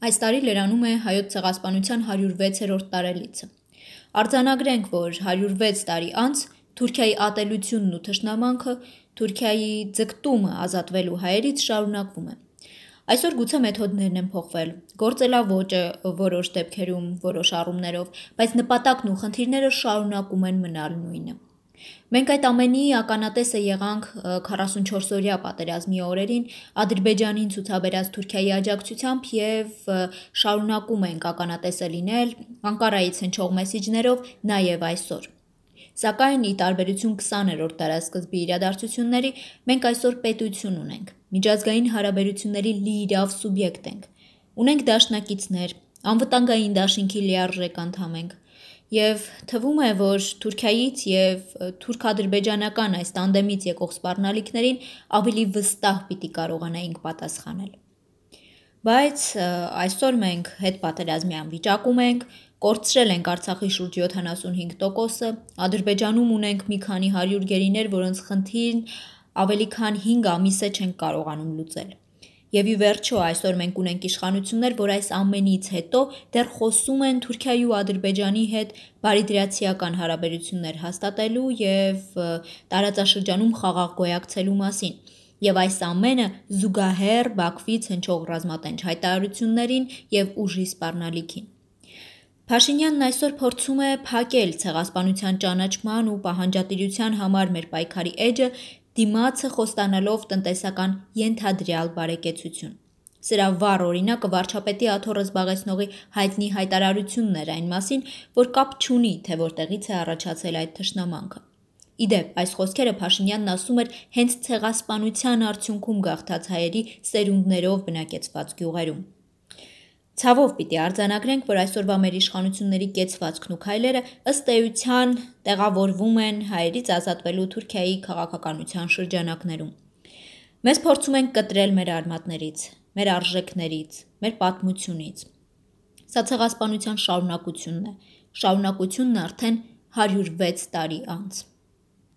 Այս տարի լրանում է հայոց ցեղասպանության 106-րդ տարելիցը։ Արձանագրենք, որ 106 տարի անց Թուրքիայի ատելությունն ու թշնամանքը, Թուրքիայի ձգտումը ազատվելու հայերից շարունակվում է։ Այսօր գուցե մեթոդներն են փոխվել, գործելաոճը որոշ դեպքերում, որոշ առումներով, բայց նպատակն ու խնդիրները շարունակում են մնալ նույնը։ Մենք այդ ամենի ականատեսը եղանք 44-օրյա պատերազմի օրերին Ադրբեջանին ցուցաբերած Թուրքիայի աջակցությամբ և շարունակում ենք ականատեսը լինել Անկարայից հնչող մեսիջներով նաև այսօր։ Սակայն ի տարբերություն 20-րդ դարասկզբի իրադարձությունների, մենք այսօր պետություն ունենք, միջազգային հարաբերությունների լիիրավ սուբյեկտ ենք, ունենք դաշնակիցներ, անվտանգային դաշինքի լիարժեք անդամ ենք, և թվում է, որ Թուրքիայից և թուրք-ադրբեջանական այս տանդեմից եկող սպառնալիքներին ավելի վստահ պիտի կարողանայինք պատասխանել։ Բայց այսօր մենք հետպատերազմյան վիճակում ենք, կորցրել ենք Արցախի շուրջ 75%-ը, Ադրբեջանում ունենք մի քանի 100 գերիներ, որոնց խնդիրն ավելի քան 5 ամիս է չենք կարողանում լուծել։ Եվ ի վերջո այսօր մենք ունենք իշխանություններ, որ այս ամենից հետո դեռ խոսում են Թուրքիայի ու Ադրբեջանի հետ բարիդրացիական հարաբերություններ հաստատելու և տարածաշրջանում խաղաղ գոյակցելու մասին։ Եվ այս ամենը զուգահեռ Բաքվից հնչող ռազմատենչ հայտարարություններին և ուժի սպառնալիքին։ Փաշինյանն այսօր փորձում է փակել ցեղասպանության ճանաչման ու պահանջատիրության համար մեր պայքարի էջը, դիմացը խոստանալով տնտեսական ենթադրյալ բարեկեցություն։ Սրա վառ օրինակը վարչապետի աթոռը զբաղեցնողի հայտնի հայտարարությունն էր այն մասին, որ կապ չունի, թե որտեղից է առաջացել այդ թշնամանքը։ Ի դեպ, այս խոսքերը Փաշինյանն ասում էր հենց ցեղասպանության արդյունքում գաղթած հայերի սերունդներով բնակեցված գյուղերում։ Ցավով պիտի արձանագրենք, որ այսօրվա մեր իշխանությունների կեցվածքն ու քայլերը ըստ էության տեղավորվում են հայերից ազատվելու Թուրքիայի քաղաքականության շրջանակներում։ Մեզ փորձում են կտրել մեր արմատներից, մեր արժեքներից, մեր պատմությունից։ Սա ցեղասպանության շարունակությունն է, շարունակությունն արդեն 106 տարի անց։